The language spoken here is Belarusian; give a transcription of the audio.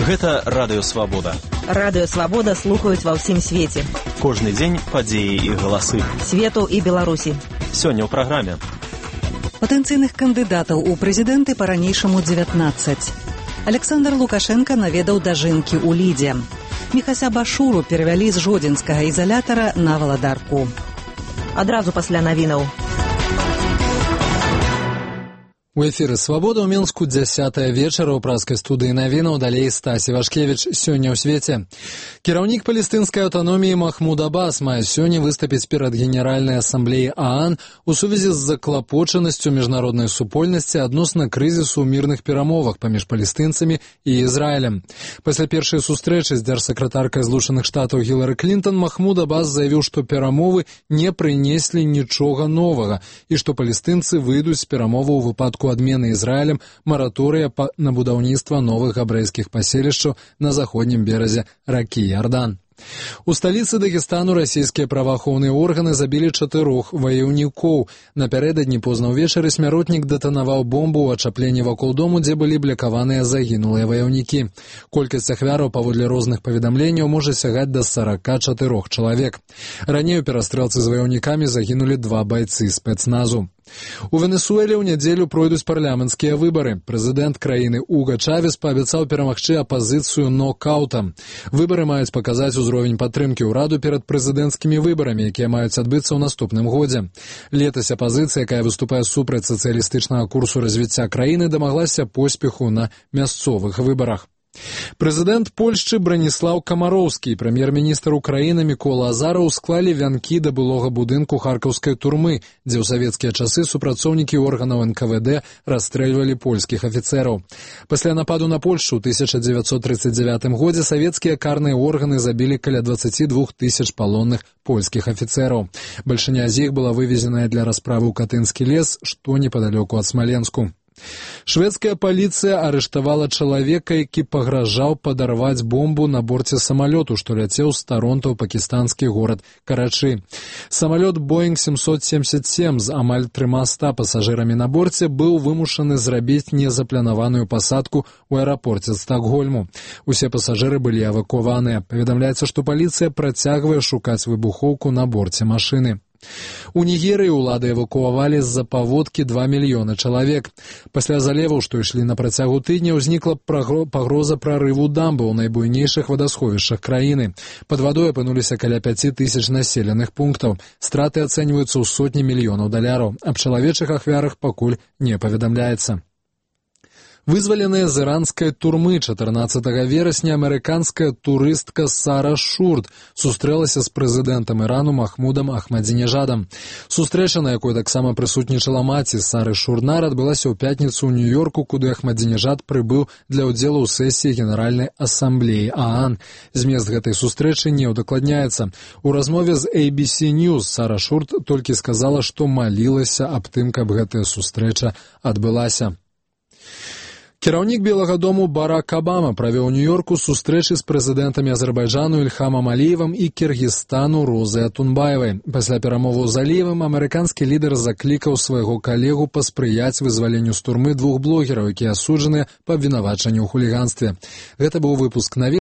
Гэта Радыё Свабода. Радыё Свабода слухаюць ва ўсім свеце. Кожны дзень падзеі і галасы. Свету і Беларусі. Сёння ў праграме. Патэнцыйных кандыдатаў у прэзідэнты па-ранейшаму 19. Александр Лукашенко наведаў дажынкі ў Лідзе. Міхася Башуру перавялі з жодзінскага ізалятара на Валадарку. Адразу пасля навінаў. У эфіры «Свабода» ў Мінску 10-я вечара ў праскай студыі навінаў, далей Стасі Вашкевіч. Сёння ў свеце. Кіраўнік палестынскай аўтаноміі Махмуд Аббас мае сёння выступіць перад Генеральнай асамблеяй ААН у сувязі з заклапочанасцю міжнароднай супольнасці адносна крызісу ў мірных перамовах паміж палестынцамі і Ізраілем. Пасля першай сустрэчы з дзяржсакратаркай Злучаных Штатаў Гілары Клінтон Махмуд Аббас заявіў, што перамовы не прынеслі нічога новага і што палестынцы выйдуць з перамоваў у выпадку адмены Ізраілем мараторыя на будаўніцтва новых габрэйскіх паселішчаў на заходнім беразе ракі Ярдан. У сталіцы Дагестану расійскія праваахоўныя органы забілі 4 ваяўнікоў. Напярэдадні позна ўвечары смяротнік дэтанаваў бомбу ў ачапленні вакол дому, дзе былі блякаваныя загінулыя ваяўнікі. Колькасць ахвяраў паводле розных паведамленняў можа сягаць да 44 чалавек. Раней у перастрэлцы з ваяўнікамі загінулі 2 байцы спецназу. У Венесуэле ў нядзелю пройдуць парламенцкія выбары. Прэзідэнт краіны Уга Чавес паабяцаў перамагчы апазіцыю нокаўтам. Выбары маюць паказаць узровень падтрымкі ўраду перад прэзідэнцкімі выбарамі, якія маюць адбыцца ў наступным годзе. Летась апазіцыя, якая выступае супраць сацыялістычнага курсу развіцця краіны, дамаглася поспеху на мясцовых выбарах. Прэзідэнт Польшчы Браніслаў Камароўскі і прэм'ер-міністр Украіны Мікола Азараў склалі вянкі да былога будынку харкаўскай турмы, дзе ў савецкія часы супрацоўнікі органаў НКВД расстрэльвалі польскіх афіцэраў. Пасля нападу на Польшчу ў 1939 годзе савецкія карныя органы забілі каля 22 000 палонных польскіх афіцэраў. Бальшыня з іх была вывезеная для расправы ў Катынскі лес, што непадалёку ад Смаленску. Шведская паліцыя арыштавала чалавека, які пагражаў падарваць бомбу на борце самалёту, што ляцеў з Таронто ў пакістанскі горад Карачы. Самалёт Boeing 777 з амаль 300 пасажырамі на борце быў вымушаны зрабіць незапланаваную пасадку ў аэрапорце Стакгольму. Усе пасажыры былі эвакуаваныя. Паведамляецца, што паліцыя працягвае шукаць выбухоўку на борце машыны. У Нігерыі ўлады эвакуавалі з-за паводкі 2 мільёны чалавек. Пасля залеваў, што ішлі на працягу тыдня, узнікла пагроза прарыву дамбы ў найбуйнейшых вадасховішчах краіны. Пад вадой апынуліся каля 5000 населеных пунктаў. Страты ацэньваюцца ў сотні мільёнаў даляраў. Аб чалавечых ахвярах пакуль не паведамляецца. Вызваленая з іранскай турмы 14 верасня амерыканская турыстка Сара Шурт сустрэлася з прэзідэнтам Ірану Махмудам Ахмадзінежадам. Сустрэча, на якой таксама прысутнічала маці Сары Шурнар, адбылася ў пятніцу ў Нью-Йорку, куды Ахмадзінежад прыбыў для ўдзелу ў сесіі Генеральнай асамблеі ААН. Змест гэтай сустрэчы не ўдакладняецца. У размове з ABC News Сара Шурт толькі сказала, што малілася аб тым, каб гэтая сустрэча адбылася. Кіраўнік Белага дому Барак Абама правёў у Нью-Йорку сустрэчы з прэзідэнтамі Азербайджану Ільхамам Аліевым і Кіргізстану Розай Атунбаевай. Пасля перамоваў з Аліевым амерыканскі лідар заклікаў свайго калегу паспрыяць вызваленню з турмы 2 блогераў, якія асуджаныя па абвінавачанні ў хуліганстве. Гэта быў выпуск навін.